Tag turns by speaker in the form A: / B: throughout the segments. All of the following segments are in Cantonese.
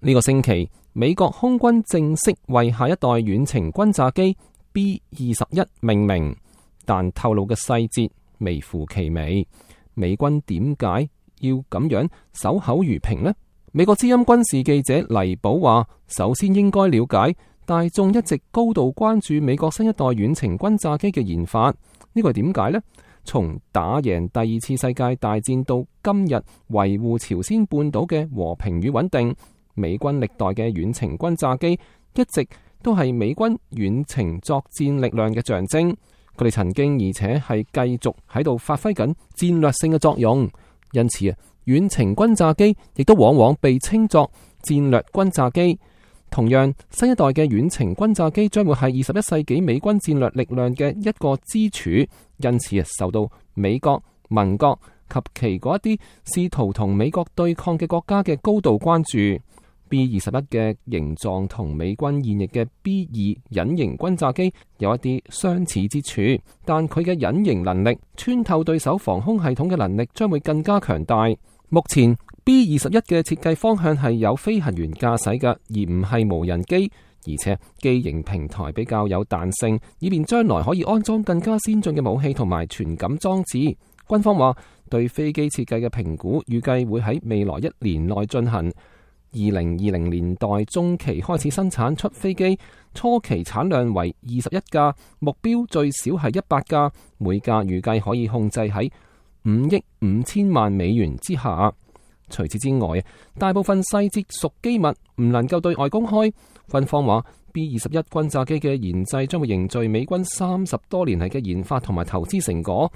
A: 呢個星期，美國空軍正式為下一代遠程轟炸機 B-21命名，但透露嘅細節微乎其微。美軍點解要咁樣守口如瓶呢？美國之音軍事記者黎寶話，首先應該了解大眾一直高度關注美國新一代遠程轟炸機嘅研發，呢個係點解呢？從打贏第二次世界大戰到今日維護朝鮮半島嘅和平與穩定，美軍歷代嘅遠程轟炸機一直都係美軍遠程作戰力量嘅象徵。佢哋曾經而且係繼續喺度發揮緊戰略性嘅作用，因此遠程轟炸機亦都往往被稱作戰略轟炸機。同樣，新一代嘅遠程轟炸機將會係21世紀美軍戰略力量嘅一個支柱，因此受到美國、盟國及其嗰一啲試圖同美國對抗嘅國家嘅高度關注。B-21嘅形狀同美軍現役嘅 B-2隱形轟炸機有一啲相似之處，但佢嘅隱形能力、穿透對手防空系統嘅能力將會更加強大。目前 B-21嘅設計方向係有飛行員駕駛嘅，而唔係無人機，而且機型平台比較有彈性，以便將來可以安裝更加先進嘅武器同埋傳感裝置。軍方話對飛機設計嘅評估預計會喺未來1年內進行。2020年代中期開始生產出飛機，初期產量為21架，目標最少係100架，每架預計可以控制喺5億5千萬美元之下。除此之外，大部分細節屬機密，唔能夠對外公開。軍方話 B-21轟炸機嘅研製將會凝聚美軍30多年嚟嘅研發同埋投資成果。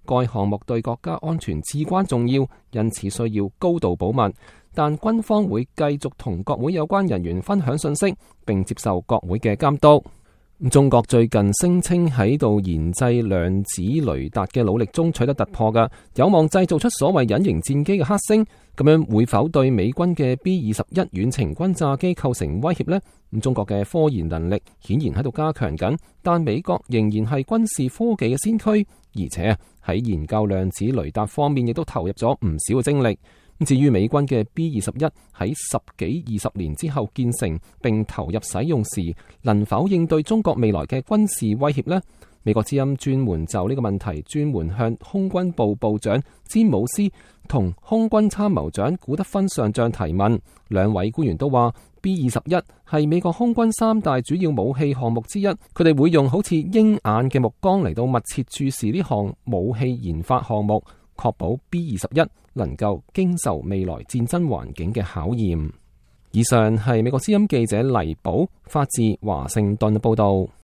A: 該項目對國家安全至關重要，因此需要高度保密。但軍方會繼續同國會有關人員分享信息，並接受國會嘅監督。中國最近聲稱喺度研製量子雷達嘅努力中取得突破嘅，有望製造出所謂隱形戰機嘅黑星。咁樣會否對美軍嘅 B-21遠程轟炸機構成威脅呢？中國嘅科研能力顯然喺度加強緊，但美國仍然係軍事科技嘅先驅，而且喺研究量子雷達方面亦都投入咗唔少嘅精力。至於美軍嘅 B-21喺10幾20年之後建成並投入使用時，能否應對中國未來嘅軍事威脅呢？美國之音專門就呢個問題專門向空軍部部長詹姆斯同空軍參謀長古德芬上將提問，兩位官員都話 B-21係美國空軍3大主要武器項目之一，佢哋會用好似鷹眼嘅目光嚟到密切注視呢項武器研發項目，確保 B-21能夠經受未來戰爭環境嘅考驗。以上係美國之音記者黎寶發自華盛頓報道。